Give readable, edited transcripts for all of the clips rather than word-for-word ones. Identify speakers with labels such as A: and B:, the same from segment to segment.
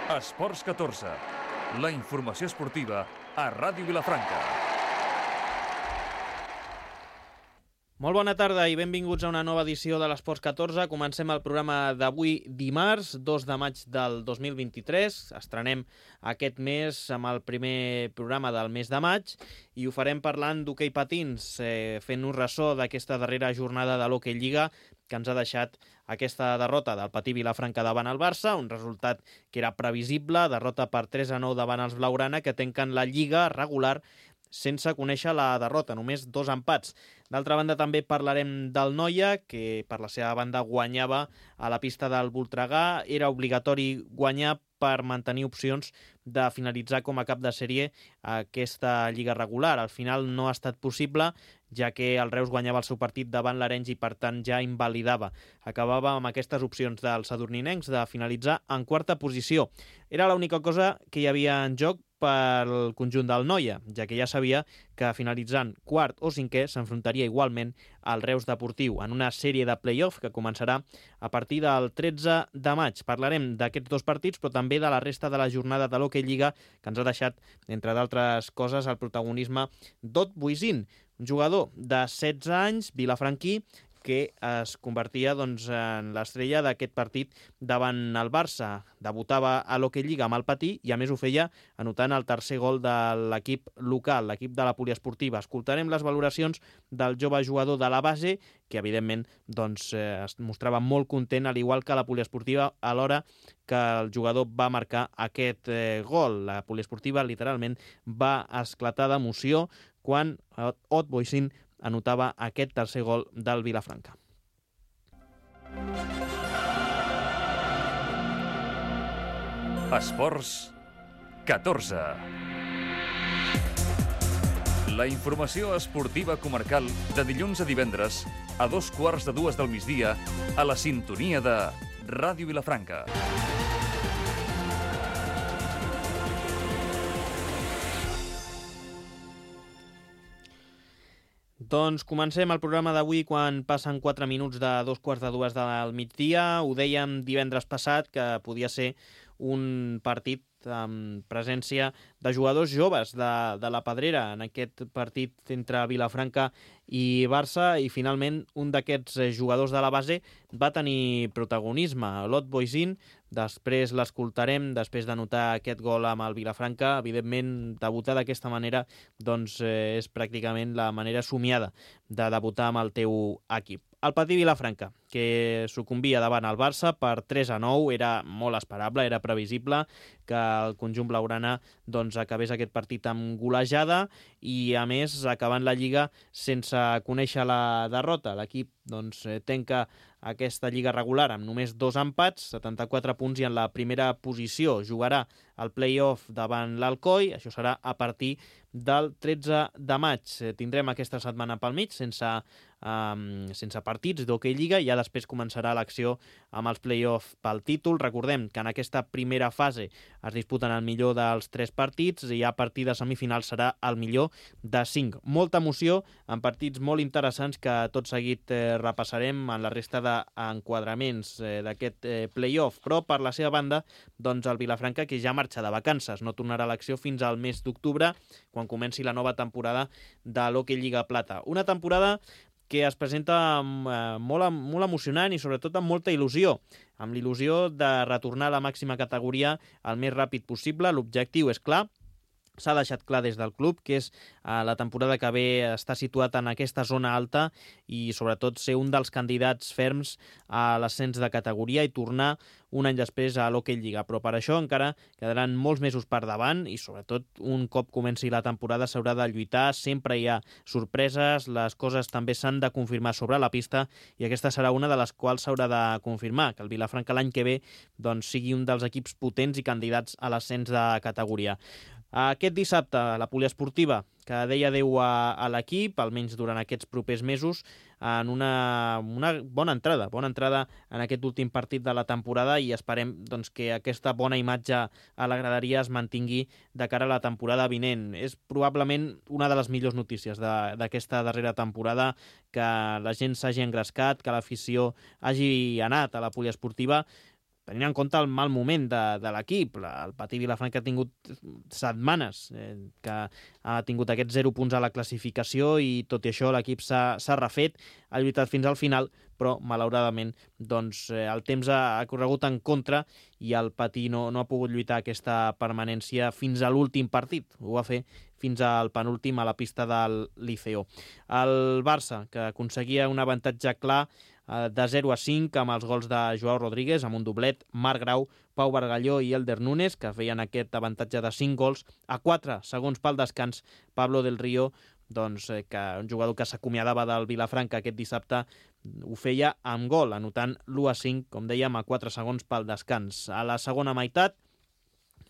A: Esports 14, la informació esportiva a Ràdio Vilafranca.
B: Molt bona tarda i benvinguts a una nova edició de l'Esports 14. Comencem el programa d'avui dimarts, 2 de maig del 2023. Estrenem aquest mes amb el primer programa del mes de maig i ho farem parlant d'hoquei patins, fent un ressò d'aquesta darrera jornada de l'Hockey Lliga que ens ha deixat aquesta derrota del Patí Vilafranca davant el Barça, un resultat que era previsible, derrota per 3-9 davant els blaugrana, que tanquen la Lliga regular sense conèixer la derrota, només 2 empats. D'altra banda, també parlarem del Noia, que per la seva banda guanyava a la pista del Voltregà. Era obligatori guanyar per mantenir opcions de finalitzar com a cap de sèrie aquesta lliga regular. Al final no ha estat possible, ja que el Reus guanyava el seu partit davant l'Arenys i per tant ja invalidava. Acabava amb aquestes opcions dels sadurninencs de finalitzar en quarta posició. Era l'única cosa que hi havia en joc pel conjunt del Noia, ja que ja sabia que finalitzant quart o cinquè s'enfrontaria igualment al Reus Deportiu en una sèrie de play-off que començarà a partir del 13 de maig. Parlarem d'aquests 2 partits, però també de la resta de la jornada de l'Hockey Lliga, que ens ha deixat, entre d'altres coses, el protagonisme d'Ot Boisin, un jugador de 16 anys, vilafranquí, que es convertia en l'estrella d'aquest partit davant el Barça. Debutava a l'Hockey Lliga amb el Patí i a més ho feia anotant el tercer gol de l'equip local, l'equip de la poliesportiva. Escoltarem les valoracions del jove jugador de la base, que evidentment es mostrava molt content, al igual que la poliesportiva, a l'hora que el jugador va marcar aquest gol. La poliesportiva literalment va esclatar d'emoció quan Ot Boisin anotava aquest tercer gol del Vilafranca.
A: Esports 14. La informació esportiva comarcal de dilluns a divendres a 2:15 del migdia a la sintonia de Ràdio Vilafranca.
B: Doncs comencem el programa d'avui quan passen 4 minuts de 2:15 del migdia. Ho dèiem divendres passat que podia ser un partit amb presència de jugadors joves de la Pedrera en aquest partit entre Vilafranca i Barça, i finalment un d'aquests jugadors de la base va tenir protagonisme, l'Ot Boisin. Després l'escoltarem, després d'anotar aquest gol amb el Vilafranca. Evidentment, debutar d'aquesta manera és pràcticament la manera somiada de debutar amb el teu equip. El Patí Vilafranca, que sucumbia davant el Barça per 3-9, era molt esperable, era previsible que el conjunt blaugrana acabés aquest partit amb golejada i, a més, acabant la Lliga sense conèixer la derrota. L'equip tanca aquesta lliga regular amb només 2 empats, 74 punts, i en la primera posició. Jugarà el play-off davant l'Alcoi, això serà a partir del 13 de maig. Tindrem aquesta setmana pel mig sense partits d'Hockey Lliga, i ja després començarà l'acció amb els play-off pel títol. Recordem que en aquesta primera fase es disputen el millor dels 3 partits i a partir de semifinals serà el millor de 5. Molta emoció en partits molt interessants que tot seguit repassarem en la resta d'enquadraments d'aquest play-off. Però per la seva banda, el Vilafranca, que ja marxa de vacances, no tornarà a l'acció fins al mes d'octubre, quan comenci la nova temporada de l'Hockey Lliga Plata. Una temporada que es presenta molt emocionant i sobretot amb molta il·lusió, amb l'il·lusió de retornar a la màxima categoria el més ràpid possible. L'objectiu és clar, s'ha deixat clar des del club que és la temporada que ve estar situat en aquesta zona alta i sobretot ser un dels candidats ferms a l'ascens de categoria i tornar un any després a l'Hockey Lliga. Però per això encara quedaran molts mesos per davant i sobretot un cop comenci la temporada s'haurà de lluitar, sempre hi ha sorpreses, les coses també s'han de confirmar sobre la pista i aquesta serà una de les quals s'haurà de confirmar, que el Vilafranca l'any que ve sigui un dels equips potents i candidats a l'ascens de categoria. Aquest dissabte, la poliesportiva, que deia adeu a l'equip, almenys durant aquests propers mesos, en una bona entrada en aquest últim partit de la temporada, i esperem que aquesta bona imatge a la graderia es mantingui de cara a la temporada vinent. És probablement una de les millors notícies d'aquesta darrera temporada, que la gent s'hagi engrescat, que l'afició hagi anat a la poliesportiva, tenint en compte el mal moment de l'equip. El Patí Vilafranca ha tingut setmanes que ha tingut aquests 0 punts a la classificació i tot i això l'equip s'ha refet, ha lluitat fins al final, però malauradament doncs, el temps ha corregut en contra i el Patí no ha pogut lluitar aquesta permanència fins a l'últim partit. Ho va fer fins al penúltim a la pista del Liceo. El Barça, que aconseguia un avantatge clar de 0-5 amb els gols de Joao Rodríguez, amb un doblet, Marc Grau, Pau Bargalló i Elder Núñez, que feien aquest avantatge de 5 gols. A 4 segons pel descans, Pablo del Río, doncs, que un jugador que s'acomiadava del Vilafranca aquest dissabte, ho feia amb gol, anotant l'1-5, com dèiem, a 4 segons pel descans. A la segona meitat,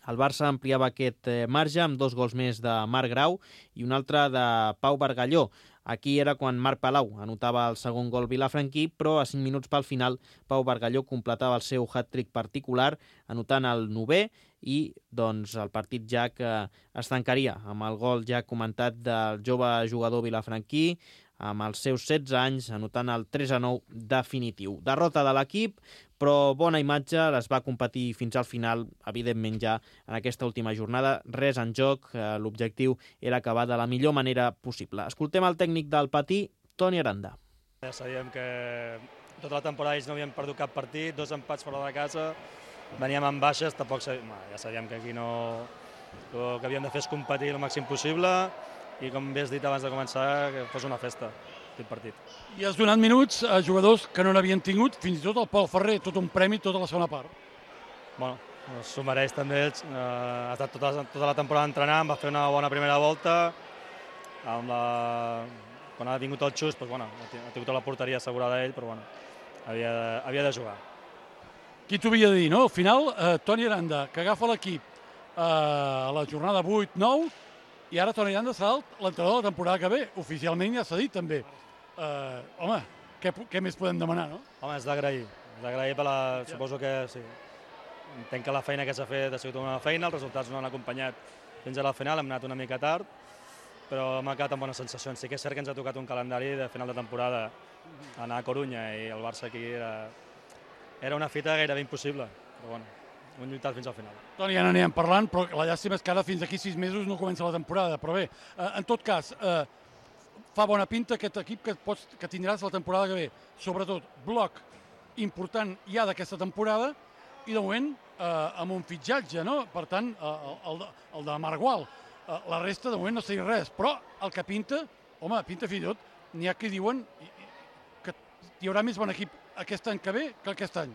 B: el Barça ampliava aquest marge amb 2 gols més de Marc Grau i un altre de Pau Bargalló. Aquí era quan Marc Palau anotava el segon gol vilafranquí, però a 5 minuts pel final Pau Bargalló completava el seu hat-trick particular, anotant el 9è i doncs, el partit ja que es tancaria amb el gol ja comentat del jove jugador vilafranquí, amb els seus 16 anys, anotant el 3-9 definitiu. Derrota de l'equip, però bona imatge, les va competir fins al final, evidentment ja en aquesta última jornada, res en joc, l'objectiu era acabar de la millor manera possible. Escoltem el tècnic del Patí, Toni Aranda.
C: Ja sabíem que tota la temporada ells no havien perdut cap partit, 2 empats fora de casa, veníem amb baixes, tampoc ja sabíem que aquí no... El que havíem de fer és competir el màxim possible i, com bé has dit abans de començar, que fos una festa aquest partit.
D: I has donat minuts a jugadors que no n'havien tingut, fins i tot el Pol Ferrer, tot un premi tota la segona part.
C: Bueno, s'ho mereix també, ha estat tota la temporada entrenant, va fer una bona primera volta, quan ha vingut el xus, doncs, bueno, ha tingut la porteria assegurada ell, però bueno, havia de jugar.
D: Qui t'ho havia de dir, no? Al final, Toni Aranda, que agafa l'equip a la jornada 8-9, i ara Toni Aranda serà l'entrenador de la temporada que ve. Oficialment ja s'ha dit també. Home, què més podem demanar, no?
C: Home, és d'agrair per la... Suposo que sí. Entenc que la feina que s'ha fet ha sigut una feina, els resultats no han acompanyat fins a la final, hem anat una mica tard, però m'ha quedat amb bones sensacions. Sí que és cert que ens ha tocat un calendari de final de temporada, anar a Corunya i el Barça aquí era una fita gairebé impossible, però bueno, hem lluitat fins al final.
D: Toni, ja n'anem parlant, però la llàstima és que ara fins aquí 6 mesos no comença la temporada, però bé, en tot cas, fa bona pinta aquest equip que tindràs la temporada que ve. Sobretot, bloc important ja d'aquesta temporada i de moment amb un fitxatge, no? Per tant, el de Margual. La resta de moment no sé res, però el que pinta, home, pinta fins i tot, n'hi ha que diuen que hi haurà més bon equip aquest any que ve que aquest any.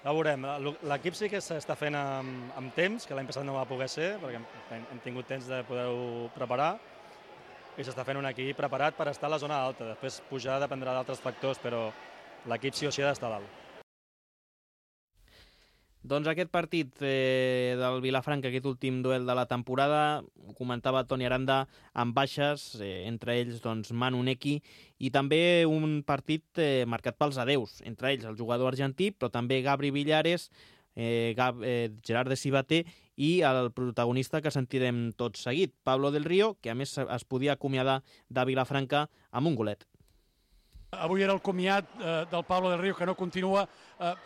C: Ja ho veurem. L'equip sí que s'està fent amb temps, que l'any passat no va poder ser, perquè hem tingut temps de poder-ho preparar, i s'està fent un equip preparat per estar a la zona alta. Després pujar dependrà d'altres factors, però l'equip sí o sí ha d'estar dalt.
B: Doncs aquest partit del Vilafranca, aquest últim duel de la temporada, ho comentava Toni Aranda, amb baixes, entre ells doncs, Manu Neki, i també un partit marcat pels adeus, entre ells el jugador argentí, però també Gabri Villares, Gerard de Cibater i el protagonista que sentirem tot seguit, Pablo del Río, que a més es podia acomiadar de Vilafranca amb un golet.
D: Avui era el comiat del Pablo del Río, que no continua,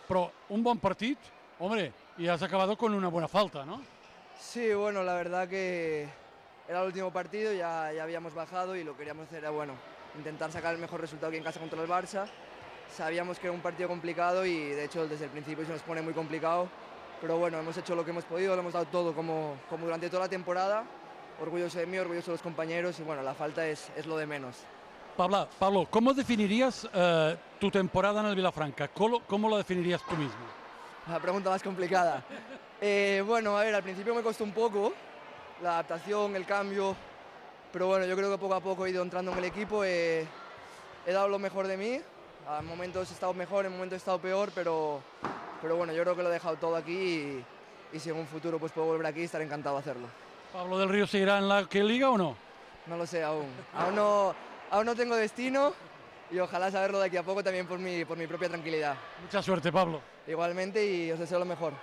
D: però un bon partit. Hombre, y has acabado con una buena falta, ¿no?
E: Sí, bueno, la verdad que era el último partido, ya habíamos bajado y lo que queríamos hacer era, bueno, intentar sacar el mejor resultado aquí en casa contra el Barça. Sabíamos que era un partido complicado y, de hecho, desde el principio se nos pone muy complicado. Pero bueno, hemos hecho lo que hemos podido, lo hemos dado todo como durante toda la temporada. Orgulloso de mí, orgulloso de los compañeros y, bueno, la falta es lo de menos.
D: Pablo, ¿cómo definirías tu temporada en el Vilafranca? ¿Cómo la definirías tú mismo?
E: La pregunta más complicada. Bueno, a ver, al principio me costó un poco la adaptación, el cambio, pero bueno, yo creo que poco a poco he ido entrando en el equipo, he dado lo mejor de mí, a momentos he estado mejor, en momentos he estado peor, pero bueno, yo creo que lo he dejado todo aquí y si en un futuro pues puedo volver aquí, estaré encantado de hacerlo.
D: ¿Pablo del Río seguirá en la liga o no?
E: No lo sé aún, aún no tengo destino. Y ojalá saberlo de aquí a poco también por mi propia tranquilidad.
D: Mucha suerte, Pablo.
E: Igualmente y os deseo lo mejor.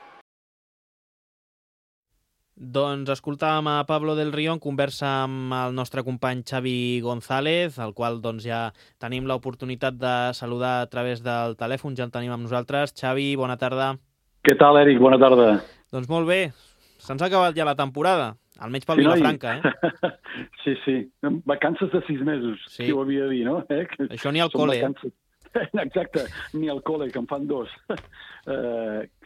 B: Doncs escoltàvem a Pablo del Río en conversa amb el nostre company Xavi González, el qual doncs, ja tenim l'oportunitat de saludar a través del telèfon, ja el tenim amb nosaltres. Xavi, bona tarda.
F: Què tal, Eric? Bona tarda.
B: Doncs molt bé, se'ns ha acabat ja la temporada, almenys pel Vilafranca, eh?
F: Sí. Vacances de 6 mesos, qui ho havia de dir, no?
B: Això ni al col·le.
F: Exacte, ni al col·le, que en fan 2.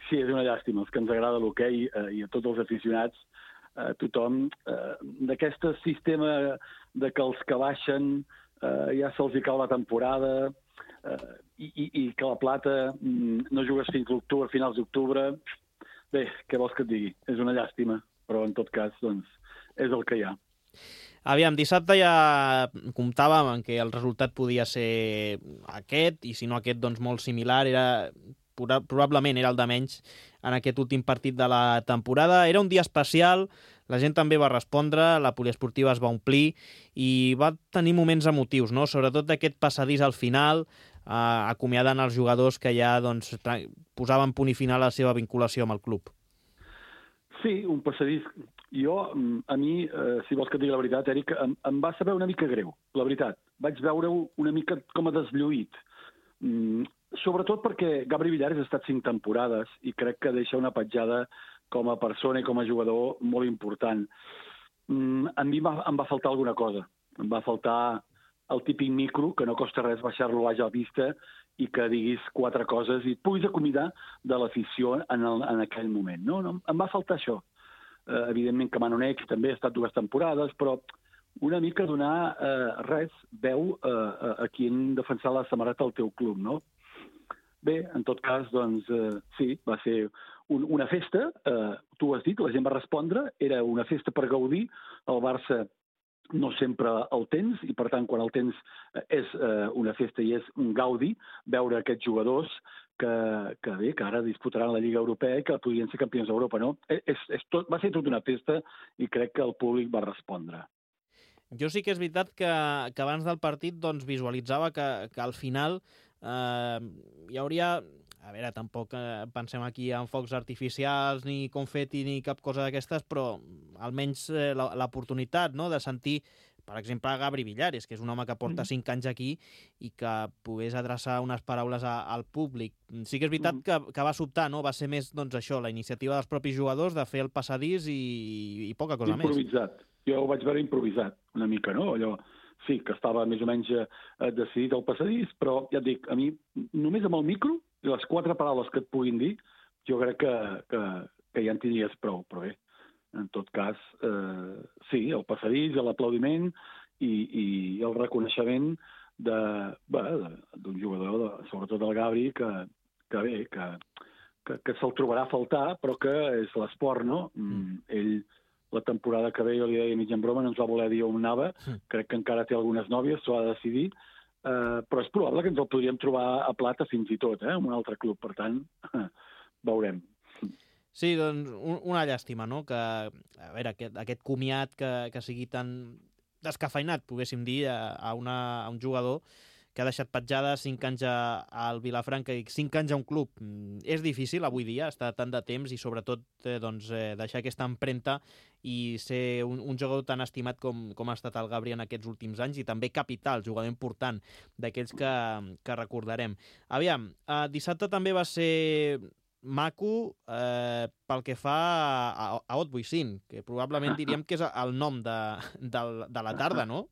F: Sí, és una llàstima, els que ens agrada l'hoquei i a tots els aficionats, tothom, d'aquest sistema de que els que baixen ja se'ls hi cau la temporada i que la plata no jugues fins l'octubre, finals d'octubre. Bé, què vols que et digui? És una llàstima, però en tot cas, doncs, és el que hi ha.
B: Aviam, dissabte ja comptàvem en què el resultat podia ser aquest, i si no aquest, doncs molt similar. Probablement era el de menys en aquest últim partit de la temporada. Era un dia especial, la gent també va respondre, la poliesportiva es va omplir i va tenir moments emotius, no? Sobretot d'aquest passadís al final, acomiadant els jugadors que ja doncs, posaven punt i final a la seva vinculació amb el club.
F: Sí, un passadís. A mi, si vols que et digui la veritat, Eric, em va saber una mica greu, la veritat. Vaig veure-ho una mica com a deslluït. Sobretot perquè Gabri Villares ha estat 5 temporades i crec que deixa una petjada com a persona i com a jugador molt important. A mi em va faltar alguna cosa. Em va faltar el típic micro, que no costa res baixar-lo a vista i que diguis 4 coses i et puguis acomiadar de l'afició en aquell moment. No, em va faltar això. Evidentment que Manu Nex també ha estat 2 temporades, però una mica donar veu a qui han defensat la samarreta del teu club, no? Bé, en tot cas, doncs, sí, va ser una festa, tu ho has dit, la gent va respondre, era una festa per gaudir, el Barça no sempre el tens, i per tant, quan el tens és una festa i és un gaudi, veure aquests jugadors que ara disputaran la Lliga Europea i que podrien ser campions d'Europa, no? Va ser tot una festa i crec que el públic va respondre.
B: Jo sí que és veritat que abans del partit doncs, visualitzava que al final hi hauria... A veure, tampoc pensem aquí en focs artificials, ni confeti, ni cap cosa d'aquestes, però almenys l'oportunitat, no?, de sentir, per exemple, a Gabri Villares, que és un home que porta 5 anys aquí i que pogués adreçar unes paraules al públic. Sí que és veritat que va sobtar, no? Va ser més, doncs, això, la iniciativa dels propis jugadors de fer el passadís i poca cosa més.
F: Improvisat. Jo ho vaig veure improvisat, una mica, no? Allò, sí, que estava més o menys decidit el passadís, però ja et dic, a mi, només amb el micro, i les 4 paraules que et puguin dir, jo crec que ja en tindries prou, però bé, en tot cas, sí, el passadís, l'aplaudiment i el reconeixement d'un jugador, sobretot el Gabri, que se'l trobarà a faltar, però que és l'esport, no? Ell, la temporada que ve, jo li deia mig en broma, no ens va voler dir on anava, crec que encara té algunes nòvies, s'ho ha de decidir, però és probable que ens el podríem trobar a plata fins i tot, en un altre club, per tant, veurem.
B: Sí, doncs una llàstima, no?, que a veure, aquest comiat que sigui tan descafeinat, poguéssim dir, a un jugador que ha deixat petjada 5 anys al Vilafranca i 5 anys a un club. És difícil avui dia estar tant de temps i sobretot deixar aquesta empremta i ser un jugador tan estimat com ha estat el Gabri en aquests últims anys i també capital, jugador important d'aquells que recordarem. Aviam, dissabte també va ser maco pel que fa a Otbuicín, que probablement diríem que és el nom de la tarda, no?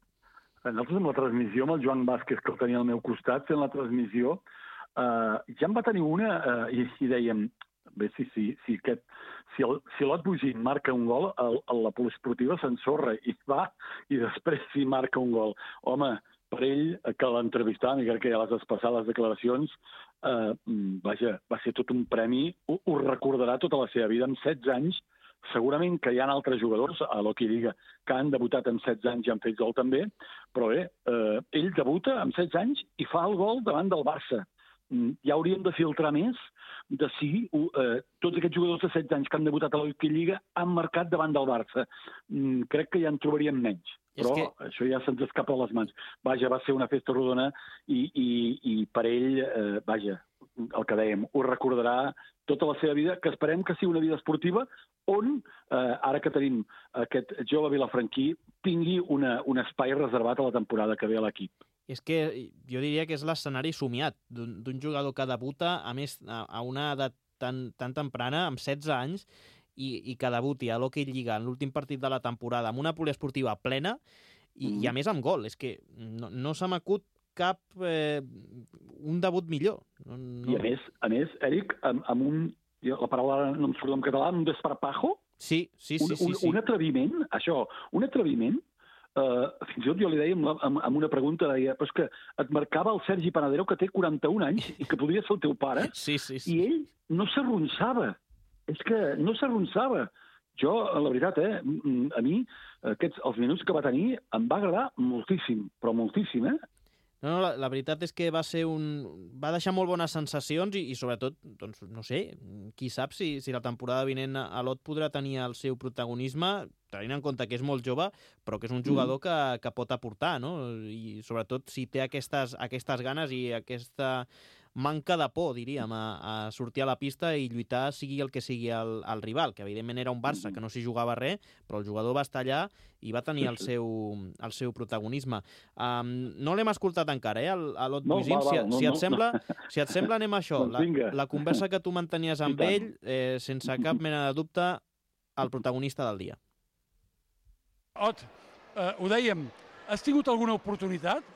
F: Nosaltres amb la transmissió, amb el Joan Vázquez, que el tenia al meu costat, fent la transmissió, ja en va tenir una i dèiem, bé, si l'Otbuicín marca un gol, la poliesportiva s'ensorra i va, i després si marca un gol. Home, per ell, que l'entrevistàvem, i crec que ja les has passat les declaracions, vaja, va ser tot un premi, ho recordarà tota la seva vida, amb 16 anys, segurament que hi ha altres jugadors a l'Hockey Lliga que han debutat amb 16 anys i han fet gol també, però bé, ell debuta amb 16 anys i fa el gol davant del Barça. Ja hauríem de filtrar més de si tots aquests jugadors de 16 anys que han debutat a l'Hockey Lliga han marcat davant del Barça. Crec que ja en trobaríem menys, però això ja se'ns escapa a les mans. Vaja, va ser una festa rodona i per ell, vaja, el que dèiem, ho recordarà tota la seva vida, que esperem que sigui una vida esportiva on, ara que tenim aquest jove vilafranquí, tingui un espai reservat a la temporada que ve a l'equip.
B: És que jo diria que és l'escenari somiat d'un jugador que debuta, a més, a una edat tan temprana, amb 16 anys, i que debuti a l'Hockey Lliga en l'últim partit de la temporada amb una poliesportiva plena i a més amb gol. És que no se m'acut cap un debut millor.
F: I a més, Eric, amb un... La paraula no em surt en català, un desparpajo?
B: Sí.
F: Un atreviment, això, un atreviment. Fins i tot jo li deia amb una pregunta, deia, però és que et marcava el Sergi Panadero, que té 41 anys i que podria ser el teu pare,
B: sí.
F: I ell no s'arronsava. És que no s'arronsava. Jo, la veritat, a mi, els minuts que va tenir em va agradar moltíssim, però moltíssim,
B: No, la veritat és que va deixar molt bones sensacions i sobretot, doncs, no sé, qui sap si la temporada vinent a l'Ot podrà tenir el seu protagonisme, tenint en compte que és molt jove, però que és un jugador que pot aportar, no? I sobretot si té aquestes ganes i aquesta manca de por, diríem, a sortir a la pista i lluitar sigui el que sigui el rival, que evidentment era un Barça que no s'hi jugava res, però el jugador va estar allà i va tenir el seu protagonisme. No l'hem escoltat encara, a l'Ot Buisim. Si et sembla, anem a això. La conversa que tu mantenies amb ell, sense cap mena de dubte, el protagonista del dia.
D: Ot, ho dèiem, has tingut alguna oportunitat?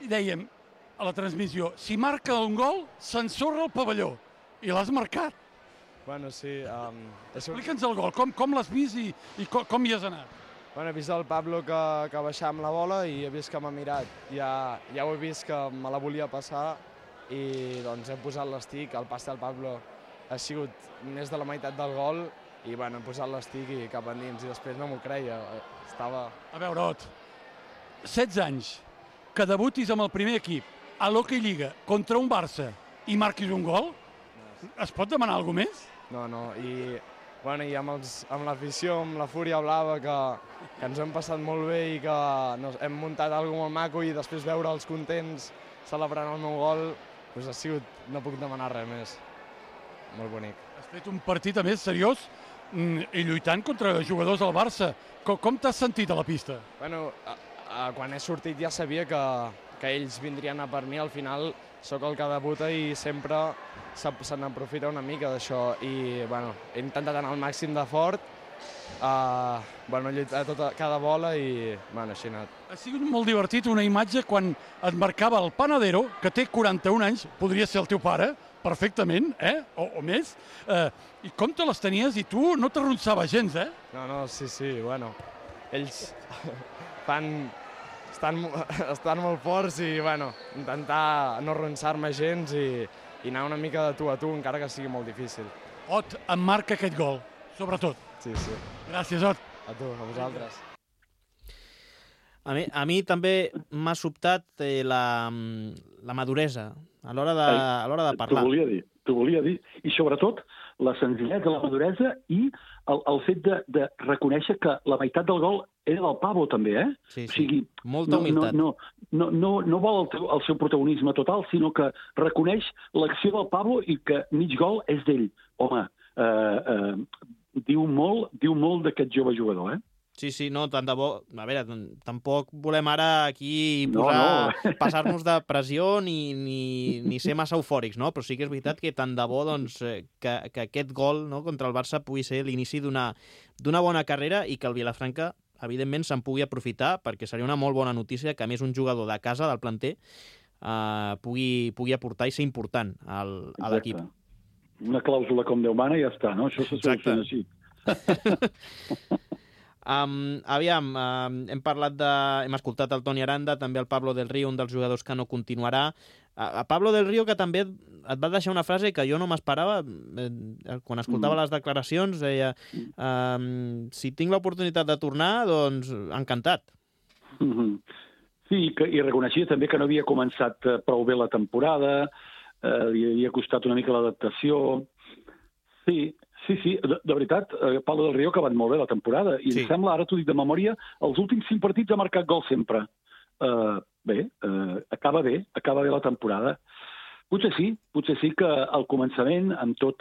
D: I dèiem, a la transmissió, si marca un gol, s'ensorra el pavelló. I l'has marcat.
G: Bueno, sí.
D: Explica'ns el gol, com l'has vist i com hi has anat?
G: Bueno, he vist el Pablo que baixava amb la bola i he vist que m'ha mirat. Ja ho he vist que me la volia passar i doncs he posat l'estic. El pas del Pablo ha sigut més de la meitat del gol i bueno, he posat l'estic i cap endins i després no m'ho creia. Estava...
D: A veure, Ot, 16 anys, que debutis amb el primer equip a l'Hockey Lliga contra un Barça i marquis un gol? Es pot demanar alguna més?
G: No, i amb l'afició, amb la Fúria Blava, que ens hem passat molt bé i que hem muntat alguna molt maco i després veure'ls contents celebrant el meu gol, doncs ha sigut, no puc demanar res més. Molt bonic.
D: Has fet un partit, a més, seriós i lluitant contra jugadors del Barça. Com t'has sentit a la pista?
G: Bueno, quan he sortit ja sabia que ells vindrien a per mi. Al final sóc el que debuta i sempre se n'aprofita una mica d'això. I bueno, he intentat anar al màxim de fort, lluitar cada bola i bueno, així ha anat.
D: Ha sigut molt divertit una imatge quan et marcava el Panadero, que té 41 anys, podria ser el teu pare, perfectament, o més, i com te les tenies i tu no t'arronsava gens,
G: No, sí, bueno, ells estan molt forts i, bueno, intentar no arronsar-me gens i anar una mica de tu a tu, encara que sigui molt difícil.
D: Ot, em marca aquest gol, sobretot.
G: Sí.
D: Gràcies, Ot.
G: A tu, a vosaltres.
B: A mi també m'ha sobtat la maduresa a l'hora de parlar.
F: T'ho volia dir. I sobretot la senzillesa, la maduresa i el fet de reconèixer que la meitat del gol era del Pablo també,
B: Sí.
F: O sigui,
B: molta humilitat.
F: No vol el seu protagonisme total, sinó que reconeix l'acció del Pablo i que mig gol és d'ell. Home, diu molt d'aquest jove jugador,
B: Sí, no, tant de bo... A veure, tampoc volem ara aquí passar-nos de pressió ni ser massa eufòrics, no? Però sí que és veritat que tant de bo doncs, que aquest gol, no, contra el Barça pugui ser l'inici d'una bona carrera i que el Vilafranca, evidentment, se'n pugui aprofitar, perquè seria una molt bona notícia que, a més, un jugador de casa, del planter, pugui aportar i ser important a l'equip.
F: Una clàusula com Déu mana i ja està, no? Això se soluciona així.
B: Hem escoltat el Toni Aranda, també el Pablo del Río, un dels jugadors que no continuarà. A Pablo del Río, que també et va deixar una frase que jo no m'esperava, quan escoltava les declaracions, deia si tinc l'oportunitat de tornar, doncs encantat.
F: Sí, i reconeixia també que no havia començat prou bé la temporada, li havia costat una mica l'adaptació. Sí, de veritat, Pablo del Río ha acabat molt bé la temporada i em sembla, ara t'ho dic de memòria, els últims 5 partits ha marcat gol sempre. Acaba bé la temporada. Potser sí que al començament, amb tot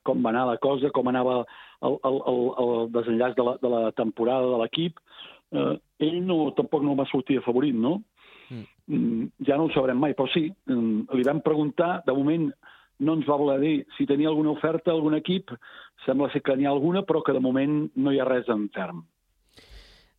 F: com va anar la cosa, com anava el desenllaç de la temporada de l'equip, ell tampoc no va sortir afavorit, no? Ja no ho sabrem mai, però sí, li vam preguntar, de moment no ens va voler dir si tenia alguna oferta, algun equip, sembla ser que n'hi ha alguna, però que de moment no hi ha res en ferm.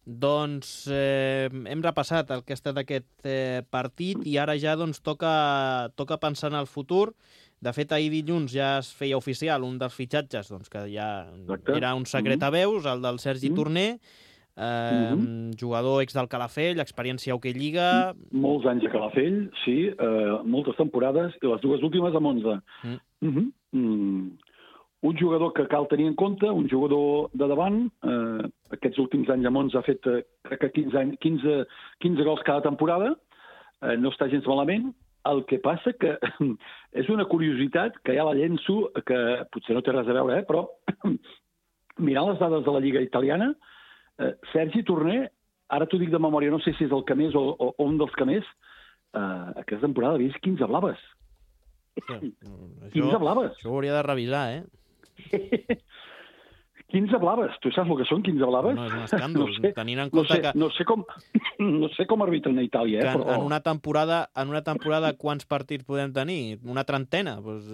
B: Doncs hem repassat el que ha estat aquest partit i ara ja doncs, toca pensar en el futur. De fet, ahir dilluns ja es feia oficial un dels fitxatges doncs, que ja era un secret a veus, el del Sergi Torner, jugador ex del Calafell, experiència a Hockey Lliga...
F: Molts anys a Calafell, sí, moltes temporades, i les dues últimes a Monza. Un jugador que cal tenir en compte, un jugador de davant, aquests últims anys a Monza ha fet crec que 15 gols cada temporada, no està gens malament. El que passa que és una curiositat que ja la llenço, que potser no té res a veure, però mirant les dades de la Lliga italiana, Sergi Torner, ara t'ho dic de memòria, no sé si és el que més o un dels que més, aquesta temporada ha vist 15 blaves. 15 blaves.
B: Això ho hauria de revisar,
F: 15 blaves. Tu saps el que són 15 blaves?
B: No, és un escàndol. Tenint en compte que...
F: No sé com arbitren a Itàlia,
B: que
F: però...
B: En una temporada quants partits podem tenir? Una trentena? Pues,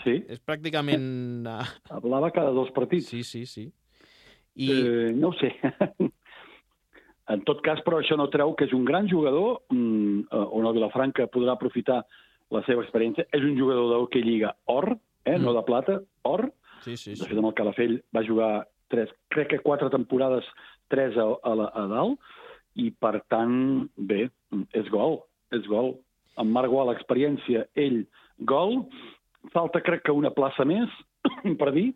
F: sí.
B: És pràcticament...
F: Blava cada 2 partits.
B: Sí.
F: No ho sé. En tot cas, però això no treu que és un gran jugador, on el Vilafranca podrà aprofitar la seva experiència. És un jugador de Hockey Lliga or, no de plata, or.
B: Sí.
F: De fet, amb el Calafell va jugar 4 temporades, 3 a dalt, i per tant, bé, és gol. En Marc Gual, l'experiència, ell, gol. Falta, crec que una plaça més, per dir,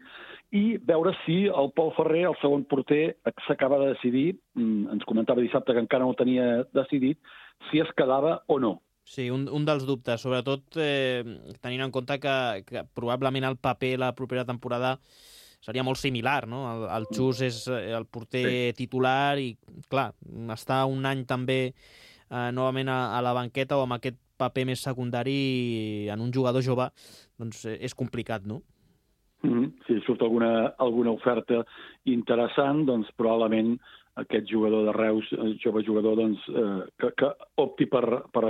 F: i veure si el Pol Ferrer, el segon porter, s'acaba de decidir, ens comentava dissabte que encara no ho tenia decidit, si es quedava o no.
B: Sí, un dels dubtes, sobretot tenint en compte que probablement el paper la propera temporada seria molt similar, no? El Xus és el porter titular i, clar, estar un any també novament a la banqueta o amb aquest paper més secundari en un jugador jove, doncs és complicat, no?
F: Si surt alguna oferta interessant, doncs probablement aquest jugador de Reus, jove jugador, doncs, que opti per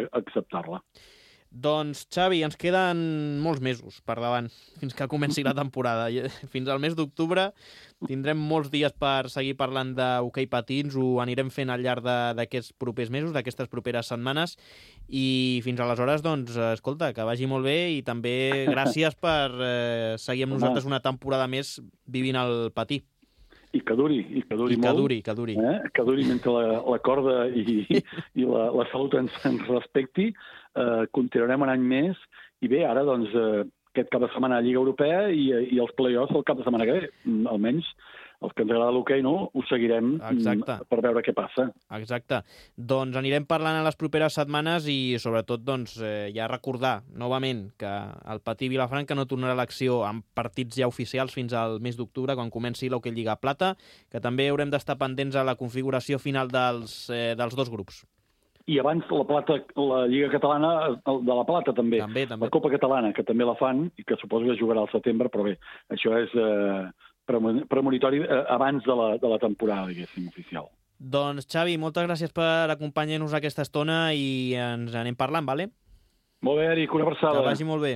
F: acceptar-la.
B: Doncs, Xavi, ens queden molts mesos per davant fins que comenci la temporada. Fins al mes d'octubre tindrem molts dies per seguir parlant d'hoquei patins, ho anirem fent al llarg d'aquests propers mesos, d'aquestes properes setmanes, i fins aleshores, doncs, escolta, que vagi molt bé i també gràcies per seguir amb nosaltres una temporada més vivint el patí.
F: I que duri molt.
B: Que duri.
F: Que duri mentre la corda i la salut ens respecti. Continuarem un any més. I bé, ara, doncs, aquest cap de setmana a Lliga Europea i els play-offs el cap de setmana que ve. Almenys els que ens agrada l'hoquei, no? Ho seguirem per veure què passa.
B: Exacte. Doncs anirem parlant en les properes setmanes i, sobretot, doncs, ja recordar novament que el Patí Vilafranca no tornarà a l'acció amb partits ja oficials fins al mes d'octubre, quan comenci l'Hoquei Lliga Plata, que també haurem d'estar pendents a la configuració final dels 2 grups.
F: I abans la Lliga Catalana de la Plata, també. La Copa Catalana, que també la fan i que suposo que jugarà al setembre, però bé, això és premonitori abans de la temporada, diguéssim, oficial.
B: Doncs, Xavi, moltes gràcies per acompanyar-nos aquesta estona i ens anem parlant, vale?
F: Molt bé, Eric, una abraçada.
B: Que vagi molt bé.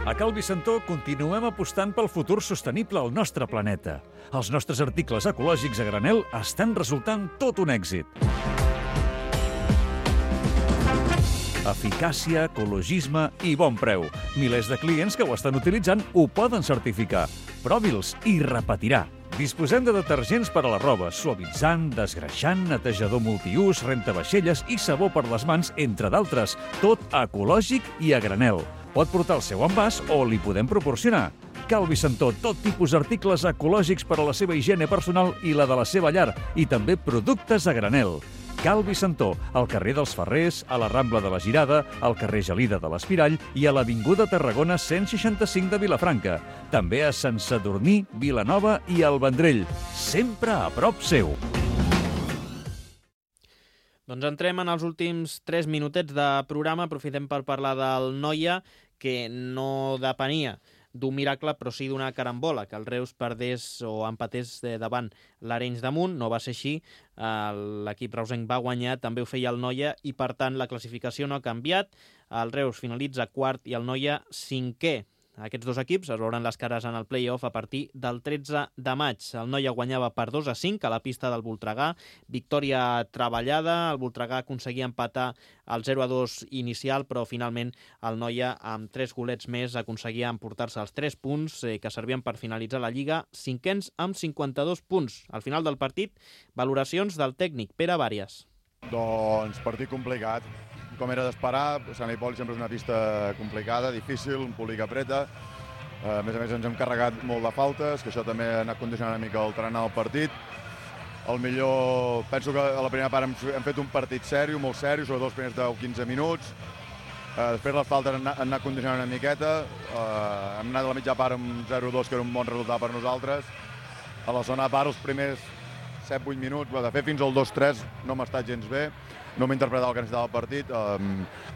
A: A Cal Vicentó continuem apostant pel futur sostenible al nostre planeta. Els nostres articles ecològics a granel estan resultant tot un èxit. Eficàcia, ecologisme i bon preu. Milers de clients que ho estan utilitzant ho poden certificar. Provi'ls i repetirà. Disposem de detergents per a la roba, suavitzant, desgreixant, netejador multiús, rentavaixelles i sabó per les mans, entre d'altres. Tot ecològic i a granel. Pot portar el seu envàs o li podem proporcionar. Cal Vicentó, tot tipus d'articles ecològics per a la seva higiene personal i la de la seva llar, i també productes a granel. Cal Vicentó, al carrer dels Ferrers, a la Rambla de la Girada, al carrer Gelida de l'Espirall i a l'Avinguda Tarragona 165 de Vilafranca. També a Sant Sadurní, Vilanova i el Vendrell. Sempre a prop seu.
B: Doncs entrem en els últims 3 minutets de programa. Aprofitem per parlar del Noia, que no depenia d'un miracle, però sí d'una carambola, que el Reus perdés o empatés davant l'Arenys de Munt. No va ser així, l'equip reusenc va guanyar, també ho feia el Noia, i per tant la classificació no ha canviat. El Reus finalitza quart i el Noia cinquè. Aquests dos equips es veuran les cares en el play-off a partir del 13 de maig. El Noia guanyava per 2-5 a la pista del Voltregà. Victòria treballada. El Voltregà aconseguia empatar el 0-2 inicial, però finalment el Noia, amb 3 golets més, aconseguia emportar-se els 3 punts que servien per finalitzar la Lliga, cinquens amb 52 punts. Al final del partit, valoracions del tècnic Pere Bàries.
H: Doncs partit complicat. Com era d'esperar, Sant Hipòlit sempre és una pista complicada, difícil, un públic apreta. A més ens hem carregat molt de faltes, que això també ha anat condicionant una mica el tarannà del partit. Penso que a la primera part hem fet un partit sèrio, molt sèrio, sobretot els primers 10-15 minuts. Després les faltes han anat condicionant una miqueta. Hem anat a la mitja part amb 0-2, que era un bon resultat per nosaltres. A la segona part, els primers 7-8 minuts, de fet fins al 2-3 no m'ha estat gens bé. No m'he interpretat el que necessitava el partit.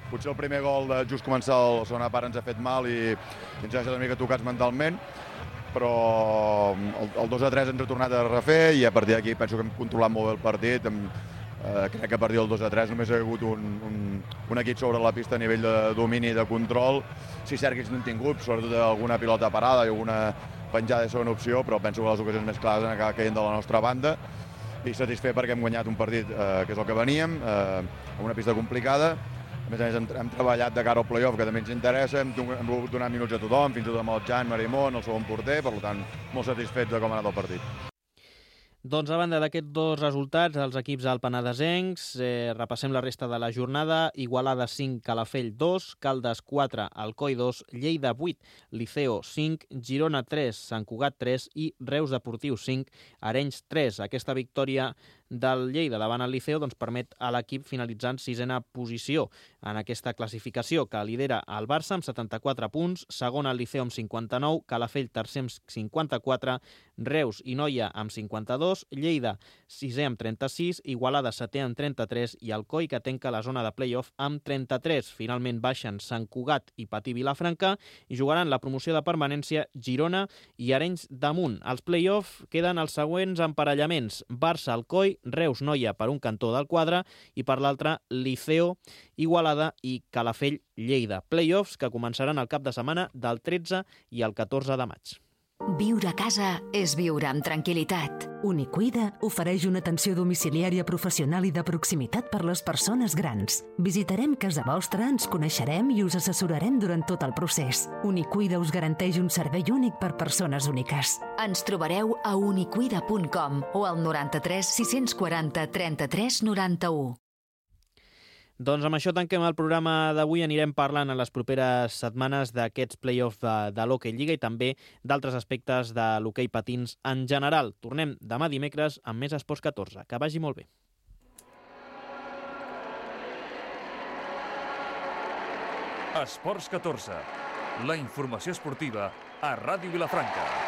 H: Potser el primer gol de just començar la segona part ens ha fet mal i ens ha deixat una mica tocats mentalment, però el 2-3 ens ha tornat a refer i a partir d'aquí penso que hem controlat molt bé el partit. Crec que a partir del 2-3 només ha hagut un equip sobre la pista a nivell de domini i de control. Sí, cert que ells no han tingut, sobretot alguna pilota parada i alguna penjada de segona opció, però penso que les ocasions més clares han acabat caient de la nostra banda. I satisfet perquè hem guanyat un partit que és el que veníem, amb una pista complicada. A més hem treballat de cara al play-off, que també ens interessa, hem volgut donar minuts a tothom, fins i tot amb el Jan Marimón, el segon porter, per tant, molt satisfets de com ha anat el partit.
B: Doncs a banda d'aquests dos resultats, els equips alpenadesencs, repassem la resta de la jornada. Igualada 5, Calafell 2, Caldes 4, Alcoi 2, Lleida 8, Liceo 5, Girona 3, Sant Cugat 3 i Reus Deportiu 5, Arenys 3. Aquesta victòria del Lleida davant el Liceo permet a l'equip finalitzar en 6a posició en aquesta classificació, que lidera el Barça amb 74 punts, segon el Liceo amb 59, Calafell tercer amb 54, Reus i Noia amb 52, Lleida 6è amb 36, Igualada 7è amb 33 i Alcoi, que tanca la zona de play-off, amb 33. Finalment baixen Sant Cugat i Patí Vilafranca i jugaran la promoció de permanència Girona i Arenys de Munt. Als play-off queden els següents emparellaments: Barça-Alcoi, Reus-Noia per un cantó del quadre i per l'altre Liceo, Igualada i Calafell-Lleida. Play-offs que començaran el cap de setmana del 13 i el 14 de maig.
I: Viure a casa és viure amb tranquil·litat.
J: Unicuida ofereix una atenció domiciliària professional i de proximitat per les persones grans. Visitarem casa vostra, ens coneixerem i us assessorarem durant tot el procés. Unicuida us garanteix un servei únic per persones úniques.
I: Ens trobareu a unicuida.com o al 93 640 33 91.
B: Doncs amb això tanquem el programa d'avui. Anirem parlant en les properes setmanes d'aquests play-offs de l'Hockey Lliga i també d'altres aspectes de l'hoquei patins en general. Tornem demà dimecres amb més Esports 14. Que vagi molt bé.
A: Esports 14. La informació esportiva a Ràdio Vilafranca.